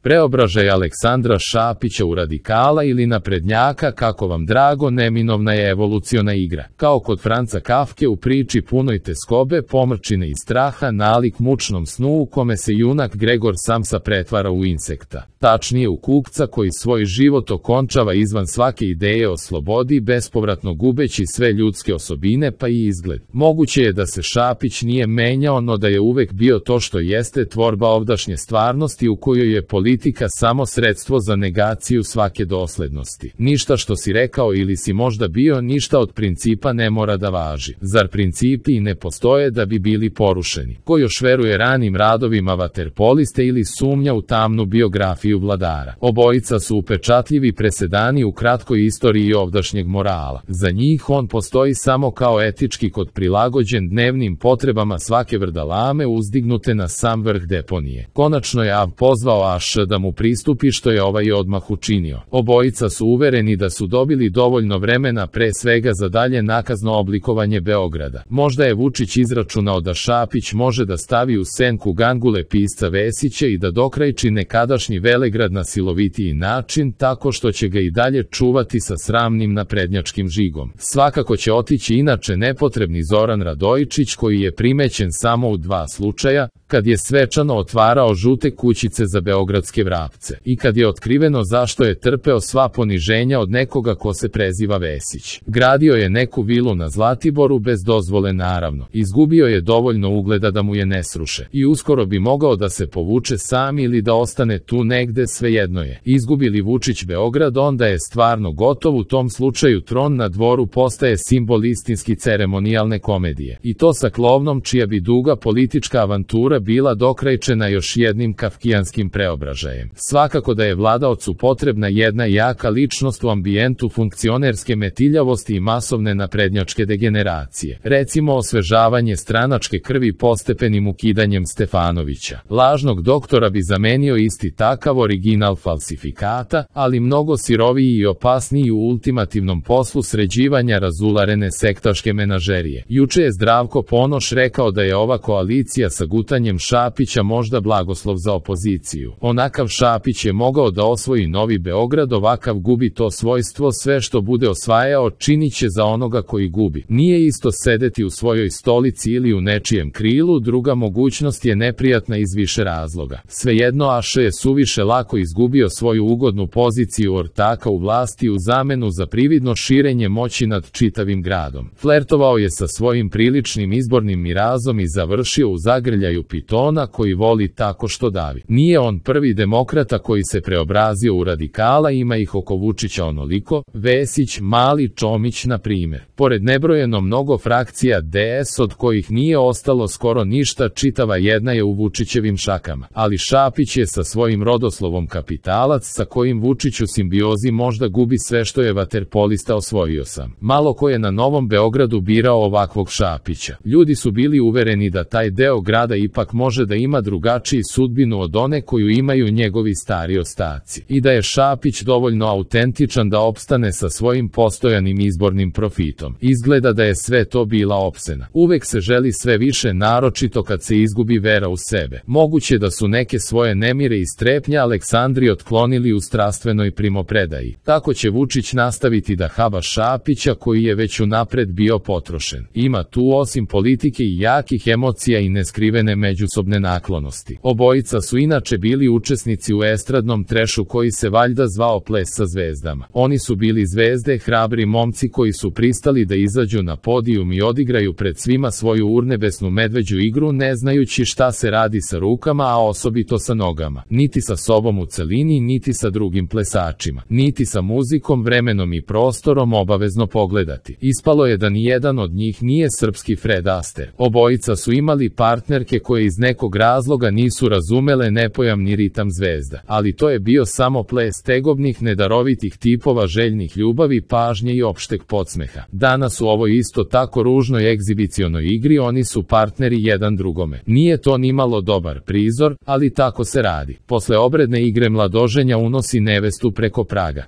Preobražaj Aleksandra Šapića u radikala ili naprednjaka, kako vam drago, neminovna je evoluciona igra. Kao kod Franca Kafke u priči punoj teskobe, pomrčine i straha, nalik mučnom snu u kome se junak Gregor Samsa pretvara u insekta. Tačnije u kukca koji svoj život okončava izvan svake ideje o slobodi, bespovratno gubeći sve ljudske osobine pa i izgled. Moguće je da se Šapić nije menjao, no da je uvek bio to što jeste, tvorba ovdašnje stvarnosti u kojoj je politika samo sredstvo za negaciju svake doslednosti. Ništa što si rekao ili si možda bio, ništa od principa ne mora da važi. Zar principi i ne postoje da bi bili porušeni? Ko još veruje ranim radovima vaterpoliste ili sumnja u tamnu biografiju vladara? Obojica su upečatljivi presedani u kratkoj istoriji ovdašnjeg morala. Za njih on postoji samo kao etički kod prilagođen dnevnim potrebama svake vrdalame uzdignute na sam vrh deponije. Konačno je Av pozvao Aš da mu pristupi, što je ovaj odmah učinio. Obojica su uvereni da su dobili dovoljno vremena pre svega za dalje nakazno oblikovanje Beograda. Možda je Vučić izračunao da Šapić može da stavi u senku gangule pisca Vesića i da dokrajči nekadašnji Velegrad na silovitiji način, tako što će ga i dalje čuvati sa sramnim naprednjačkim žigom. Svakako će otići inače nepotrebni Zoran Radojičić, koji je primećen samo u 2 slučaja, kad je svečano otvarao žute kućice za beogradske vrapce i kad je otkriveno zašto je trpeo sva poniženja od nekoga ko se preziva Vesić. Gradio je neku vilu na Zlatiboru bez dozvole, naravno. Izgubio je dovoljno ugleda da mu je ne sruše i uskoro bi mogao da se povuče sam ili da ostane tu negde, svejedno je. Izgubi li Vučić Beograd, onda je stvarno gotov. U tom slučaju tron na dvoru postaje simbol istinski ceremonijalne komedije, i to sa klovnom čija bi duga politička avantura bila dokrajčena još jednim kafkijanskim preobražajem. Svakako da je vladaocu potrebna jedna jaka ličnost u ambijentu funkcionerske metiljavosti i masovne naprednjačke degeneracije. Recimo osvežavanje stranačke krvi postepenim ukidanjem Stefanovića. Lažnog doktora bi zamenio isti takav original falsifikata, ali mnogo siroviji i opasniji u ultimativnom poslu sređivanja razularene sektaške menažerije. Juče je Zdravko Ponoš rekao da je ova koalicija sa gutanjem Šapića možda blagoslov za opoziciju. Onakav Šapić je mogao da osvoji Novi Beograd, ovakav gubi to svojstvo, sve što bude osvajao činit će za onoga koji gubi. Nije isto sedeti u svojoj stolici ili u nečijem krilu, druga mogućnost je neprijatna iz više razloga. Svejedno, Aš je suviše lako izgubio svoju ugodnu poziciju ortaka u vlasti u zamenu za prividno širenje moći nad čitavim gradom. Flertovao je sa svojim priličnim izbornim mirazom i završio u zagrljaju pitona koji voli tako što davi. Nije on prvi demokrata koji se preobrazio u radikala, ima ih oko Vučića onoliko, Vesić, Mali, Čomić na primjer. Pored nebrojeno mnogo frakcija DS od kojih nije ostalo skoro ništa, čitava jedna je u Vučićevim šakama. Ali Šapić je sa svojim rodoslovom kapitalac sa kojim Vučić u simbiozi možda gubi sve što je vaterpolista osvojio sam. Malo ko je na Novom Beogradu birao ovakvog Šapića. Ljudi su bili uvereni da taj deo grada ipak može da ima drugačiju sudbinu od one koju imaju njegovi stari ostaci i da je Šapić dovoljno autentičan da opstane sa svojim postojanim izbornim profitom. Izgleda da je sve to bila opsena. Uvek se želi sve više, naročito kad se izgubi vera u sebe. Moguće da su neke svoje nemire i strepnje Aleksandri otklonili u strastvenoj primopredaji. Tako će Vučić nastaviti da haba Šapića koji je već unapred bio potrošen. Ima tu osim politike i jakih emocija i neskrivene međusobne naklonosti. Obojica su inače bili učesnici u estradnom trešu koji se valjda zvao Ples sa zvezdama. Oni su bili zvezde, hrabri momci koji su pristali da izađu na podijum i odigraju pred svima svoju urnebesnu medveđu igru, ne znajući šta se radi sa rukama, a osobito sa nogama. Niti sa sobom u celini, niti sa drugim plesačima, niti sa muzikom, vremenom i prostorom obavezno pogledati. Ispalo je da nijedan od njih nije srpski Fred Astaire. Obojica su imali partnerke koje iz nekog razloga nisu razumele nepojamni ritam zvezda, ali to je bio samo ples tegobnih, nedarovitih tipova željnih ljubavi, pažnje i opšteg podsmeha. Danas u ovoj isto tako ružnoj egzibicionoj igri oni su partneri jedan drugome. Nije to nimalo dobar prizor, ali tako se radi. Posle obredne igre mladoženja unosi nevestu preko praga.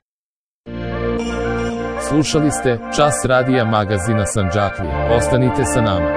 Slušali ste Čas radija magazina Sandžaklija. Ostanite sa nama.